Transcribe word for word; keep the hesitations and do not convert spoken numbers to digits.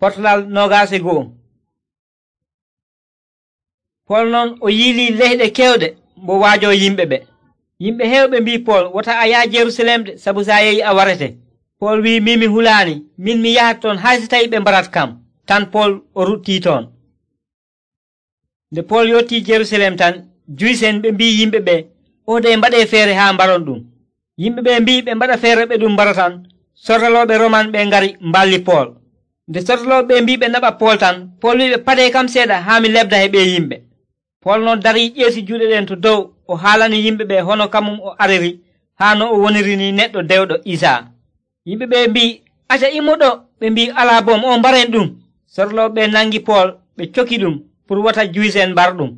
Potlal noogaas e go'o. Pol non o yiilii leyɗe kewɗe mbo waajoo yimɓe ɓe. Yimɓe heewɓe mbii Pol, wota a yaha Jerusalem de, sabu so a yehi a warete. Pol wi'i, min mi hulaani, min mi yahat toon hay so tawii ɓe mbarat kam. Tan Pol o ruɗtii toon. Nde Pol yottii Jerusalem tan, Juysen ɓe mbii yimɓe ɓe, o de mbaɗee feere haa mbaron ɗum. Yimɓe ɓe mbii ɓe mbaɗa feere ɓe ɗum mbara tan. Sordalooɓe Roman ɓe ngari mballi Pol. Nde sordalooɓe ɓe mbii ɓe naɓa Pol tan, Pol wi'i ɓe, padee kam seeɗa haa mi lebda he ɓe yimɓe. Pol noon darii ƴeesi juuɗe ɗen to dow o haalani yimɓe ɓe hono kamum o ariri haa no o woniri ni neɗɗo dewɗo Isaa. Yimɓe ɓe mbii, aca immuɗo. Ɓe mbii, alaa bom, o mbaren ɗum. Sordalooɓe ɓe nangi Pol ɓe coki ɗum pour wata Juysen mbar ɗum.